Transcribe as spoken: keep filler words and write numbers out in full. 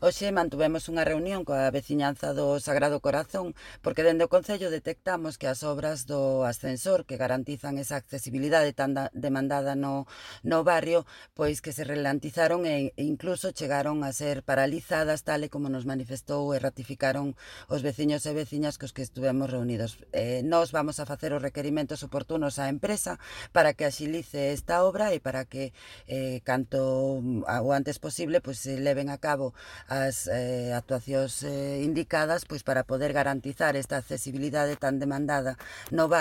Hoxe mantuvemos unha reunión coa veciñanza do Sagrado Corazón porque dende o Concello detectamos que as obras do ascensor que garantizan esa accesibilidade tan da- demandada no, no barrio, pois que se ralentizaron e e incluso chegaron a ser paralizadas, tal e como nos manifestou e ratificaron os veciños e veciñas cos que estuvemos reunidos. Eh, nós vamos a facer os requerimentos oportunos á empresa para que axilice esta obra e para que eh, canto mm, a- o antes posible pois se leven a cabo as eh, actuacións eh, indicadas pois para poder garantizar esta accesibilidade tan demandada no barrio